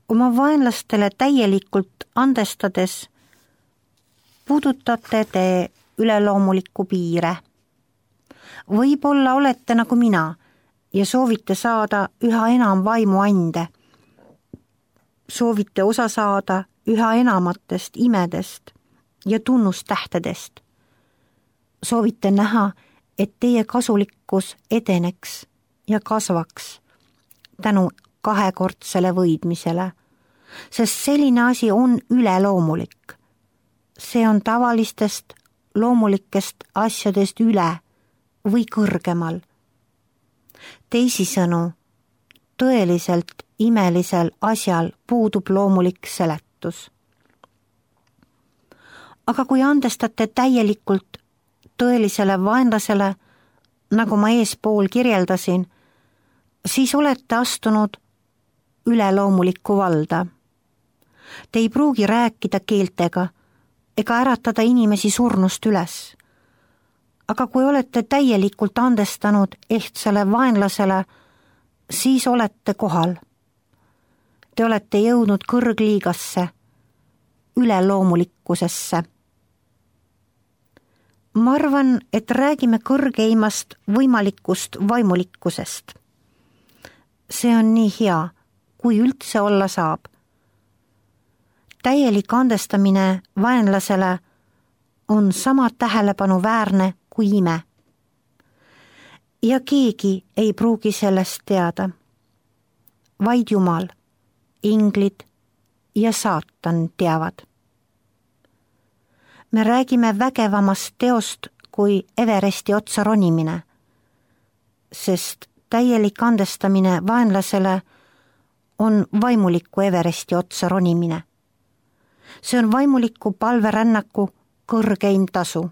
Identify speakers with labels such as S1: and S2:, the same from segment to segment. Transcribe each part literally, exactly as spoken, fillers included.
S1: Oma vaenlastele täielikult andestades puudutate te üleloomulikku piire. Võib-olla olete nagu mina ja soovite saada üha enam vaimuande. Soovite osa saada üha enamatest imedest ja tunnustähtedest. Soovite näha, et teie kasulikkus edeneks ja kasvaks tänu kahekordsele võidmisele, sest selline asi on üleloomulik. See on tavalistest loomulikest asjadest üle või kõrgemal. Teisisõnu, tõeliselt imelisel asjal puudub loomulik seletus. Aga kui andestate täielikult tõelisele vaenlasele, nagu ma eespool kirjeldasin, siis olete astunud üleloomulikku valda. Te ei pruugi rääkida keeltega ega äratada inimesi surnust üles. Aga kui olete täielikult andestanud ehtsale vaenlasele, siis olete kohal. Te olete jõudnud kõrgliigasse, üleloomulikkusesse. Ma arvan, et räägime kõrgeimast võimalikust vaimulikkusest. See on nii hea, kui üldse olla saab. Täielik andestamine vaenlasele on sama tähelepanuväärne kui ime. Ja keegi ei pruugi sellest teada. Vaid Jumal, inglid ja saatan teavad. Me räägime vägevamast teost kui Everesti otsa ronimine, sest täielik andestamine vaenlasele on vaimuliku Everesti otsa ronimine. See on vaimuliku palverännaku kõrgeim tasu.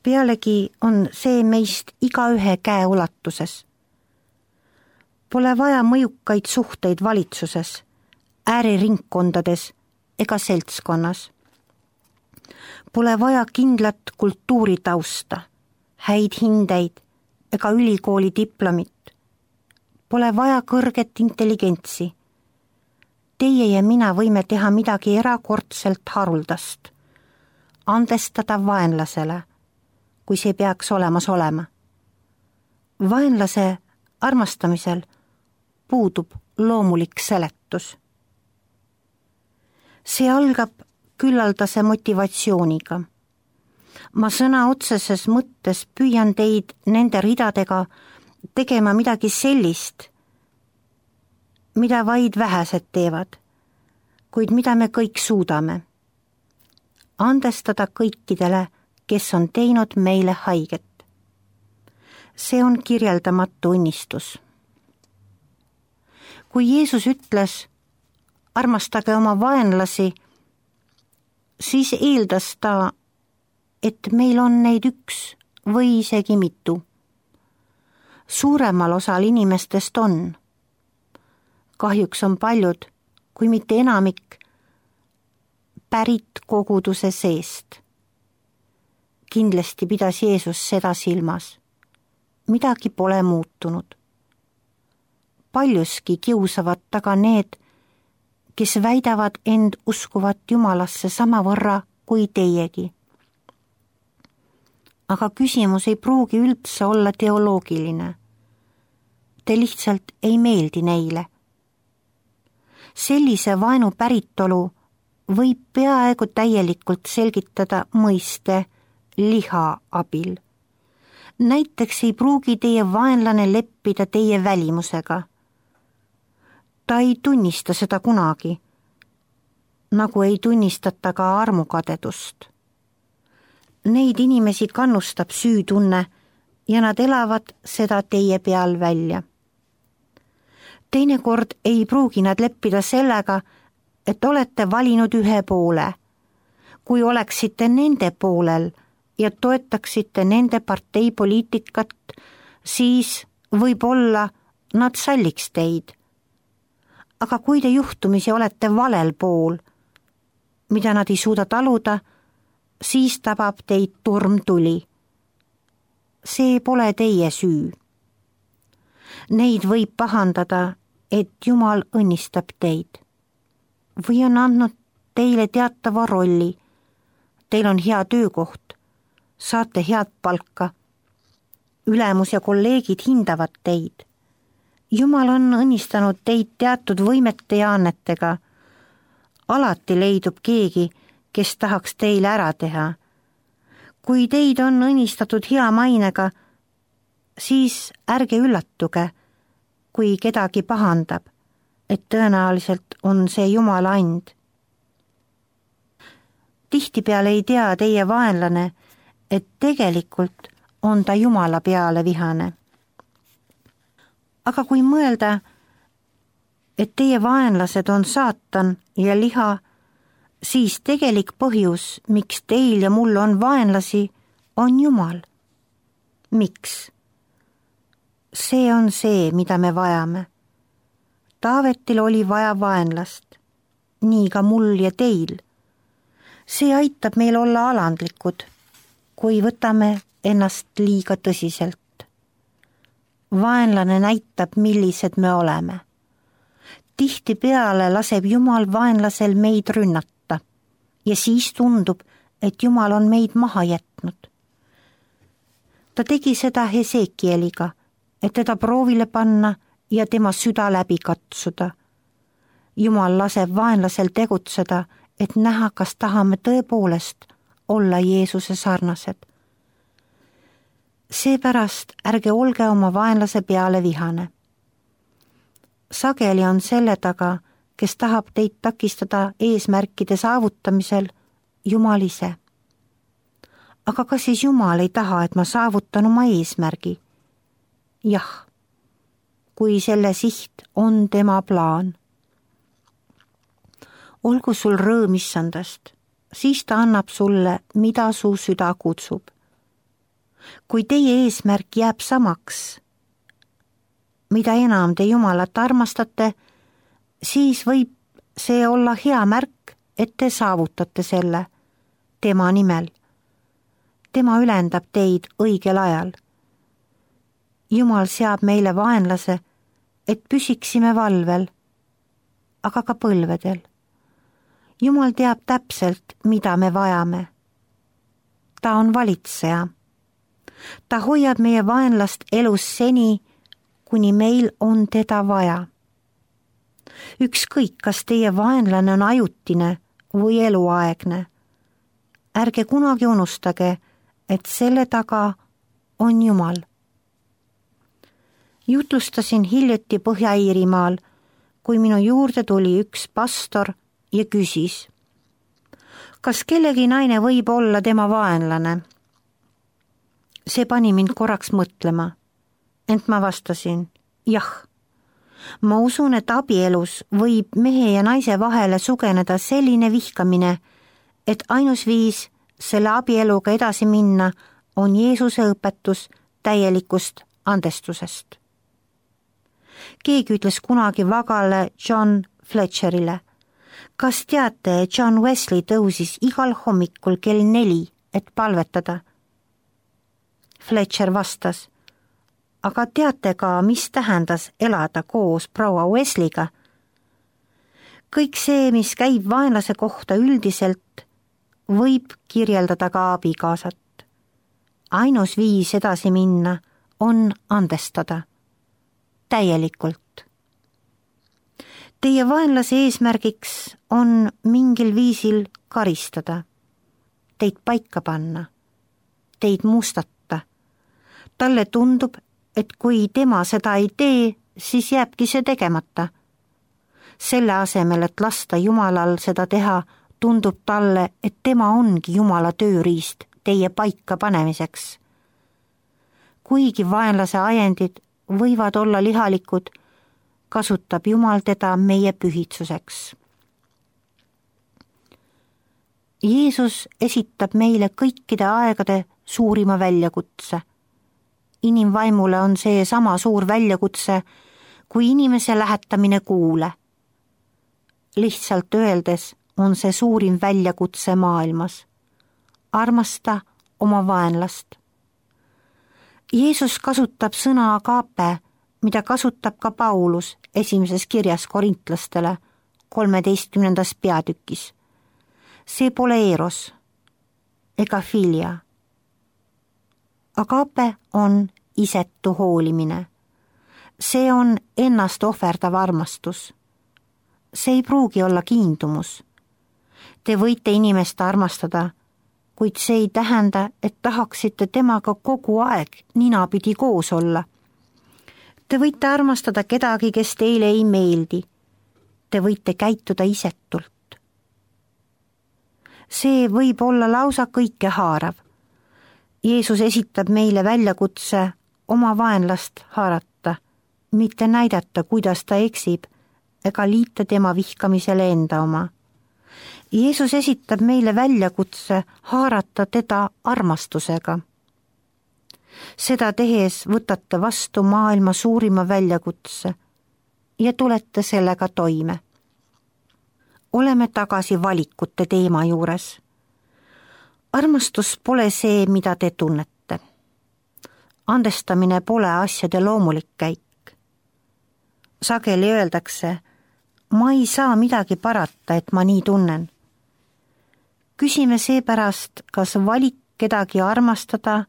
S1: Pealegi on see meist igaühe käe ulatuses. Pole vaja mõjukaid suhteid valitsuses, ääriringkondades ega seltskonnas. Pole vaja kindlat kultuuritausta, häid hindeid ega ülikooli diplomit. Pole vaja kõrget intelligentsi. Teie ja mina võime teha midagi erakordselt haruldast. Andestada vaenlasele, kui see peaks olemas olema. Vaenlase armastamisel puudub loomulik seletus. See algab küllaldase motivatsiooniga. Ma sõna otseses mõttes püüan teid nende ridadega tegema midagi sellist, mida vaid vähesed teevad, kuid mida me kõik suudame. Andestada kõikidele, kes on teinud meile haiget. See on kirjeldamatu õnnistus. Kui Jeesus ütles, armastage oma vaenlasi, siis eeldas ta, et meil on neid üks või isegi mitu. Suuremal osal inimestest on. Kahjuks on paljud, kui mitte enamik, pärit koguduse seest. Kindlasti pidas Jeesus seda silmas. Midagi pole muutunud. Paljuski kiusavad taga need, kes väidavad end uskuvat Jumalasse samavõrra kui teiegi. Aga küsimus ei pruugi üldse olla teoloogiline. Te lihtsalt ei meeldi neile. Sellise vaenu päritolu võib peaaegu täielikult selgitada mõiste liha abil. Näiteks ei pruugi teie vaenlane leppida teie välimusega. Ta ei tunnista seda kunagi, nagu ei tunnistata ka armukadedust. Neid inimesi kannustab süütunne ja nad elavad seda teie peal välja. Teinekord ei pruugi nad leppida sellega, et olete valinud ühe poole. Kui oleksite nende poolel ja toetaksite nende parteipoliitikat, siis võib-olla nad salliks teid. Aga kui te juhtumisi olete valel pool, mida nad ei suuda taluda, siis tabab teid turmtuli. See pole teie süü. Neid võib pahandada et Jumal õnnistab teid või on andnud teile teatava rolli. Teil on hea töökoht, saate head palka, ülemus ja kolleegid hindavad teid. Jumal on õnnistanud teid teatud võimete ja annetega. Alati leidub keegi, kes tahaks teile ära teha. Kui teid on õnnistatud hea mainega, siis ärge üllatuge, kui kedagi pahandab, et tõenäoliselt on see Jumala and. Tihtipeale ei tea teie vaenlane, et tegelikult on ta Jumala peale vihane. Aga kui mõelda, et teie vaenlased on saatan ja liha, siis tegelik põhjus, miks teil ja mul on vaenlasi, on Jumal. Miks? See on see, mida me vajame. Taavetil oli vaja vaenlast, nii ka mul ja teil. See aitab meil olla alandlikud, kui võtame ennast liiga tõsiselt. Vaenlane näitab, millised me oleme. Tihtipeale laseb Jumal vaenlasel meid rünnata ja siis tundub, et Jumal on meid maha jätnud. Ta tegi seda Hesekieliga, et teda proovile panna ja tema süda läbi katsuda. Jumal laseb vaenlasel tegutseda, et näha, kas tahame tõepoolest olla Jeesuse sarnased. Seepärast ärge olge oma vaenlase peale vihane. Sageli on selle taga, kes tahab teid takistada eesmärkide saavutamisel, Jumal ise. Aga kas siis Jumal ei taha, et ma saavutan oma eesmärgi? Jah, kui selle siht on tema plaan. Olgu sul rõõm issandast, siis ta annab sulle, mida su süda kutsub. Kui teie eesmärk jääb samaks, mida enam te Jumalat armastate, siis võib see olla hea märk, et te saavutate selle tema nimel. Tema ülendab teid õigel ajal. Jumal seab meile vaenlase, et püsiksime valvel, aga ka põlvedel. Jumal teab täpselt, mida me vajame. Ta on valitseja. Ta hoiab meie vaenlast elus seni, kuni meil on teda vaja. Ükskõik, kas teie vaenlane on ajutine või eluaegne. Ärge kunagi unustage, et selle taga on Jumal. Jutlustasin hiljuti Põhja-Iirimaal, kui minu juurde tuli üks pastor ja küsis, kas kellegi naine võib olla tema vaenlane. See pani mind korraks mõtlema, ent ma vastasin, jah. Ma usun, et abielus võib mehe ja naise vahele sugeneda selline vihkamine, et ainus viis selle abieluga edasi minna on Jeesuse õpetus täielikust andestusest. Keegi ütles kunagi vagale John Fletcherile, kas teate, et John Wesley tõusis igal hommikul kell neli, et palvetada? Fletcher vastas, aga teate ka, mis tähendas elada koos proua Wesleyga? Kõik see, mis käib vaenlase kohta üldiselt, võib kirjeldada ka abikaasat. Ainus viis edasi minna on andestada. Täielikult. Teie vaenlase eesmärgiks on mingil viisil karistada, teid paika panna, teid mustata. Talle tundub, et kui tema seda ei tee, siis jääbki see tegemata. Selle asemel, et lasta Jumalal seda teha, tundub talle, et tema ongi Jumala tööriist teie paika panemiseks. Kuigi vaenlase ajendid võivad olla lihalikud, kasutab Jumal teda meie pühitsuseks. Jeesus esitab meile kõikide aegade suurima väljakutse. Inimvaimule on see sama suur väljakutse kui inimese lähetamine kuule. Lihtsalt öeldes on see suurim väljakutse maailmas. Armasta oma vaenlast. Jeesus kasutab sõna agape, mida kasutab ka Paulus esimeses kirjas korintlastele kolmeteistkümnendas peatükis. See pole eros ega filia. Agape on isetu hoolimine. See on ennast ohverdav armastus. See ei pruugi olla kiindumus. Te võite inimest armastada, kuid see ei tähenda, et tahaksite temaga kogu aeg ninapidi koos olla. Te võite armastada kedagi, kes teile ei meeldi. Te võite käituda isetult. See võib olla lausa kõikehaarav. Jeesus esitab meile väljakutse oma vaenlast haarata, mitte näidata, kuidas ta eksib, ega liita tema vihkamisele enda oma. Jeesus esitab meile väljakutse haarata teda armastusega. Seda tehes võtate vastu maailma suurima väljakutse ja tulete sellega toime. Oleme tagasi valikute teema juures. Armastus pole see, mida te tunnete. Andestamine pole asjade loomulik käik. Sageli öeldakse, ma ei saa midagi parata, et ma nii tunnen. Küsime seepärast, kas valik kedagi armastada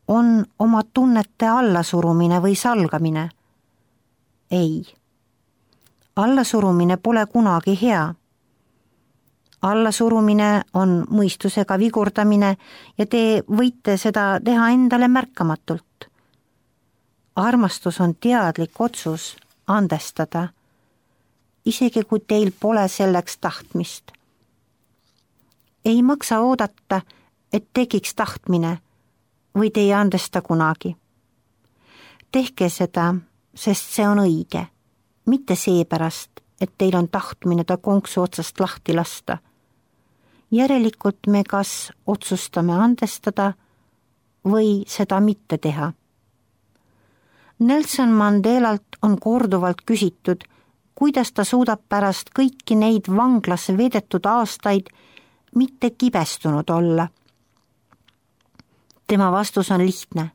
S1: on oma tunnete allasurumine või salgamine? Ei. Allasurumine pole kunagi hea. Allasurumine on mõistusega vigurdamine ja te võite seda teha endale märkamatult. Armastus on teadlik otsus andestada, isegi kui teil pole selleks tahtmist. Ei maksa oodata, et tekiks tahtmine või te ei andesta kunagi. Tehke seda, sest see on õige, mitte seepärast, et teil on tahtmine ta konksu otsast lahti lasta. Järelikult me kas otsustame andestada või seda mitte teha. Nelson Mandelalt on korduvalt küsitud, kuidas ta suudab pärast kõiki neid vanglas veedetud aastaid mitte kibestunud olla. Tema vastus on lihtne.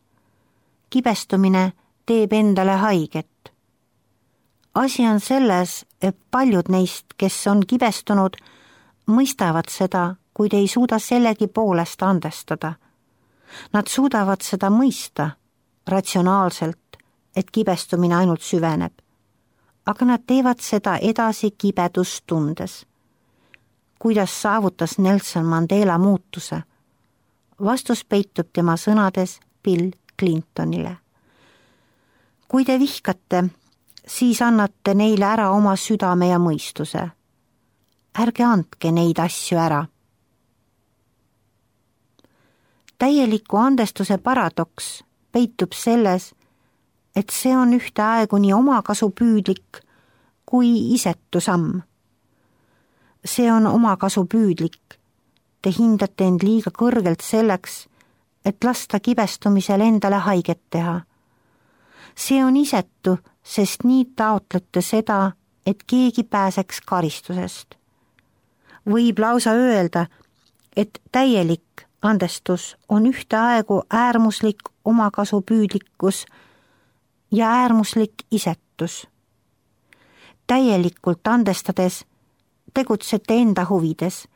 S1: Kibestumine teeb endale haiget. Asi on selles, et paljud neist, kes on kibestunud, mõistavad seda, kuid ei suuda sellegi poolest andestada. Nad suudavad seda mõista ratsionaalselt, et kibestumine ainult süveneb. Aga nad teevad seda edasi kibedust tundes. Kuidas saavutas Nelson Mandela muutuse? Vastus peitub tema sõnades Bill Clintonile. Kui te vihkate, siis annate neile ära oma südame ja mõistuse. Ärge andke neid asju ära. Täieliku andestuse paradoks peitub selles, et see on ühtaegu nii omakasupüüdlik kui isetu samm. See on omakasupüüdlik. Te hindate end liiga kõrgelt selleks, et lasta kibestumisel endale haiget teha. See on isetu, sest nii taotlete seda, et keegi pääseks karistusest. Võib lausa öelda, et täielik andestus on ühtaegu äärmuslik omakasupüüdlikkus ja äärmuslik isetus. Täielikult andestades tegutsete enda huvides,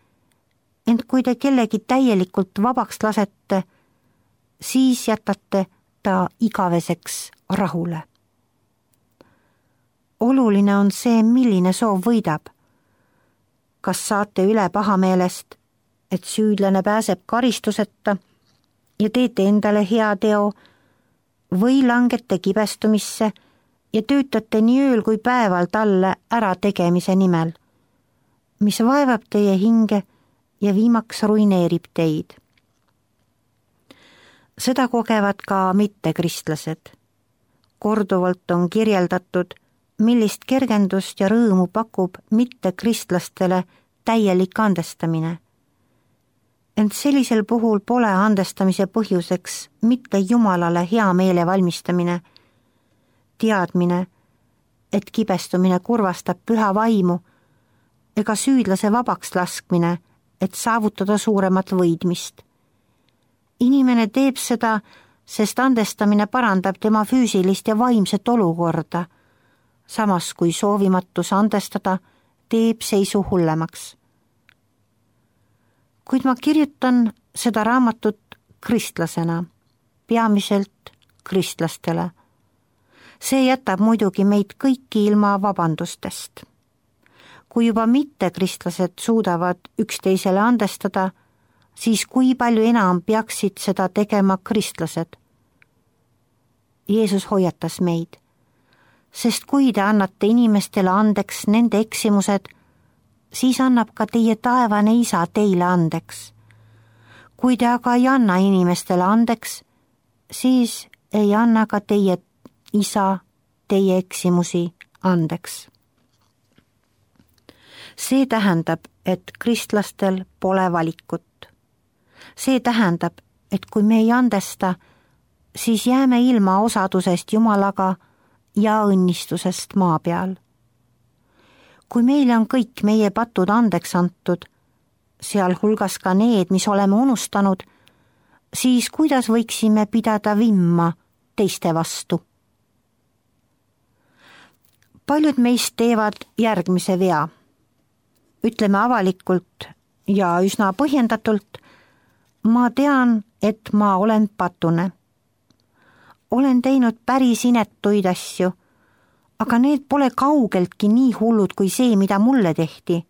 S1: ent kui te kellegi täielikult vabaks lasete, siis jätate ta igaveseks rahule. Oluline on see, milline soov võidab. Kas saate üle pahameelest, et süüdlane pääseb karistuseta ja teete endale hea teo, või langete kibestumisse ja töötate nii ööl kui päeval talle ära tegemise nimel, mis vaevab teie hinge ja viimaks ruineerib teid. Seda kogevad ka mittekristlased. Korduvalt on kirjeldatud, millist kergendust ja rõõmu pakub mittekristlastele täielik andestamine. Ent sellisel puhul pole andestamise põhjuseks mitte Jumalale hea meele valmistamine, teadmine, et kibestumine kurvastab püha vaimu, ega süüdlase vabaks laskmine, et saavutada suuremat võidmist. Inimene teeb seda, sest andestamine parandab tema füüsilist ja vaimset olukorda, samas kui soovimatus andestada teeb seisu hullemaks. Kuid ma kirjutan seda raamatut kristlasena, peamiselt kristlastele. See jätab muidugi meid kõiki ilma vabandustest. Kui juba mittekristlased suudavad üksteisele andestada, siis kui palju enam peaksid seda tegema kristlased? Jeesus hoiatas meid, sest kui te annate inimestele andeks nende eksimused, siis annab ka teie taevane isa teile andeks. Kui te aga ei anna inimestele andeks, siis ei anna ka teie isa teie eksimusi andeks. See tähendab, et kristlastel pole valikut. See tähendab, et kui me ei andesta, siis jääme ilma osadusest Jumalaga ja õnnistusest maa peal. Kui meile on kõik meie patud andeks antud, sealhulgas ka need, mis oleme unustanud, siis kuidas võiksime pidada vimma teiste vastu? Paljud meist teevad järgmise vea. Ütleme avalikult ja üsna põhjendatult, ma tean, et ma olen patune. Olen teinud päris inetuid asju, aga need pole kaugeltki nii hullud kui see, mida mulle tehti.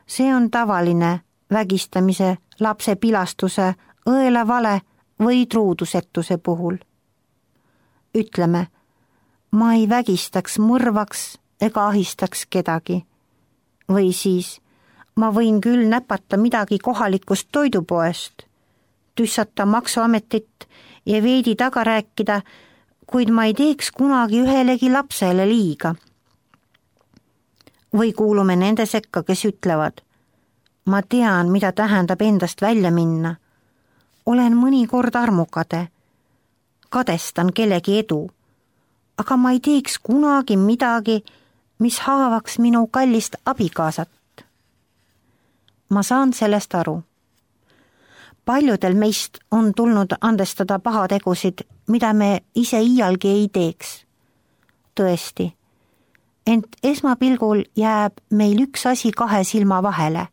S1: See on tavaline vägistamise, lapse pilastuse, õelavale või truudusetuse puhul. Ütleme, ma ei vägistaks, mõrvaks ega ahistaks kedagi. Või siis, ma võin küll näpata midagi kohalikust toidupoest, tüssata maksuametit ja veidi taga rääkida, kuid ma ei teeks kunagi ühelegi lapsele liiga. Või kuulume nende sekka, kes ütlevad, ma tean, mida tähendab endast välja minna. Olen mõnikord armukade, kadestan kellegi edu, aga ma ei teeks kunagi midagi, mis haavaks minu kallist abikaasat. Ma saan sellest aru. Paljudel meist on tulnud andestada pahategusid, mida me ise iialgi ei teeks. Tõesti, ent esmapilgul jääb meil üks asi kahe silma vahele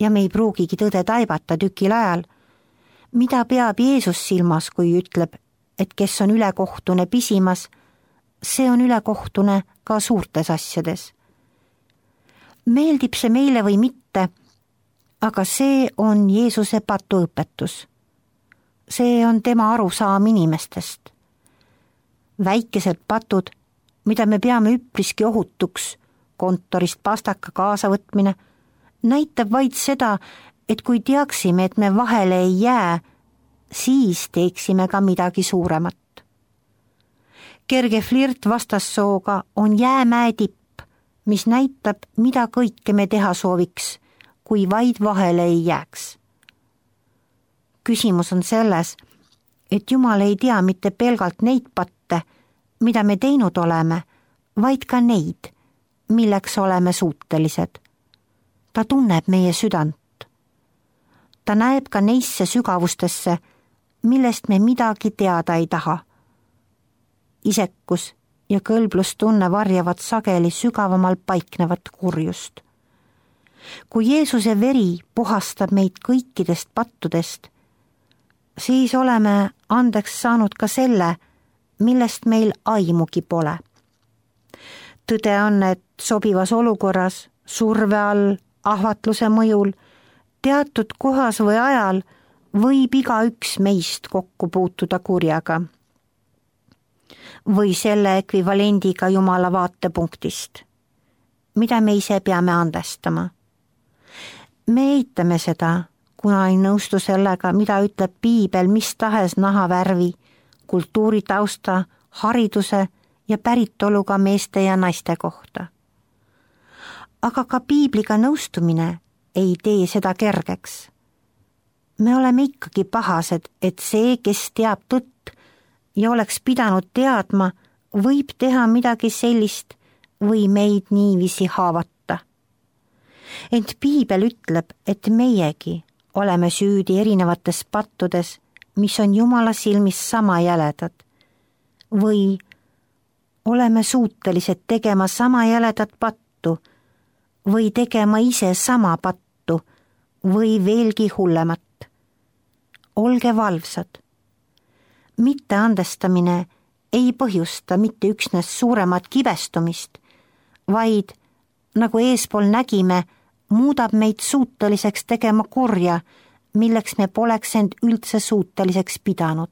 S1: ja me ei pruugigi tõde taibata tükil ajal, mida peab Jeesus silmas, kui ütleb, et kes on ülekohtune pisimas, see on ülekohtune ka suurtes asjades. Meeldib see meile või mitte, aga see on Jeesuse patuõpetus. See on tema arusaam inimestest. Väikesed patud, mida me peame üpriski ohutuks, kontorist pastaka kaasavõtmine, näitab vaid seda, et kui teaksime, et me vahele ei jää, siis teeksime ka midagi suuremat. Kerge flirt vastassooga on jäämäe tipp, mis näitab, mida kõike me teha sooviks, kui vaid vahele ei jääks. Küsimus on selles, et Jumal ei tea mitte pelgalt neid patte, mida me teinud oleme, vaid ka neid, milleks oleme suutelised. Ta tunneb meie südant. Ta näeb ka neisse sügavustesse, millest me midagi teada ei taha. Isekus ja kõlblustunne varjavad sageli sügavamal paiknevat kurjust. Kui Jeesuse veri puhastab meid kõikidest pattudest, siis oleme andeks saanud ka selle, millest meil aimugi pole. Tõde on, et sobivas olukorras, surve all, ahvatluse mõjul, teatud kohas või ajal võib igaüks meist kokku puutuda kurjaga või selle ekvivalendiga Jumala vaatepunktist, mida me ise peame andestama. Me eitame seda, kuna ei nõustu sellega, mida ütleb piibel mis tahes nahavärvi, kultuuritausta, hariduse ja päritoluga meeste ja naiste kohta. Aga ka piibliga nõustumine ei tee seda kergeks. Me oleme ikkagi pahased, et see, kes teab tõtt ja oleks pidanud teadma, võib teha midagi sellist või meid niiviisi haavata. Ent piibel ütleb, et meiegi oleme süüdi erinevates pattudes, mis on Jumala silmis sama jäledad, või oleme suutelised tegema sama jäledat pattu või tegema ise sama pattu või veelgi hullemat. Olge valvsad. Mitteandestamine ei põhjusta mitte üksnes suuremat kibestumist, vaid, nagu eespool nägime, muudab meid suuteliseks tegema korja, milleks me poleks end üldse suuteliseks pidanud.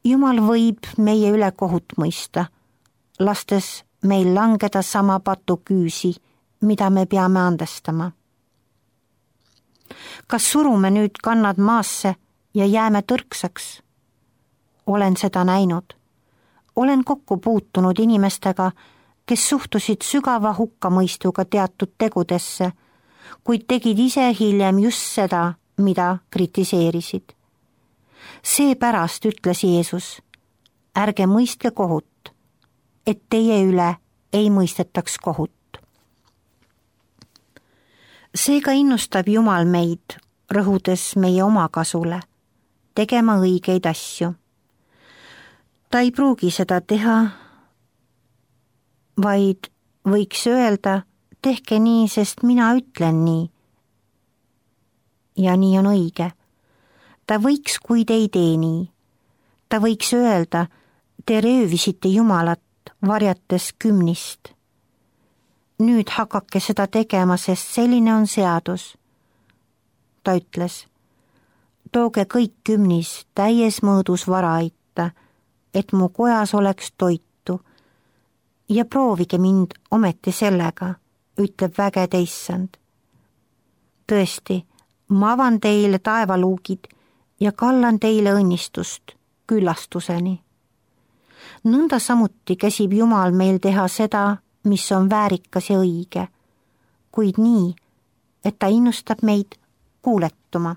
S1: Jumal võib meie üle kohut mõista, lastes meil langeda sama patu küüsi, mida me peame andestama. Kas surume nüüd kannad maasse ja jääme tõrksaks? Olen seda näinud. Olen kokku puutunud inimestega, kes suhtusid sügava hukkamõistuga teatud tegudesse, kuid tegid ise hiljem just seda, mida kritiseerisid. Seepärast ütles Jeesus, ärge mõistke kohut, et teie üle ei mõistetaks kohut. Seega innustab Jumal meid, rõhudes meie omakasule, tegema õigeid asju. Ta ei pruugi seda teha, vaid võiks öelda, tehke nii, sest mina ütlen nii. Ja nii on õige. Ta võiks, kui te ei tee nii. Ta võiks öelda, te röövisite Jumalat, varjates kümnist. Nüüd hakake seda tegema, sest selline on seadus. Ta ütles, tooge kõik kümnis täies mõõdus vara aitta, et mu kojas oleks toitu, ja proovige mind ometi sellega, ütleb vägede Issand. Tõesti, ma avan teile taevaluugid ja kallan teile õnnistust küllastuseni. Nõnda samuti käsib Jumal meil teha seda, mis on väärikas ja õige, kuid nii, et ta innustab meid kuuletuma.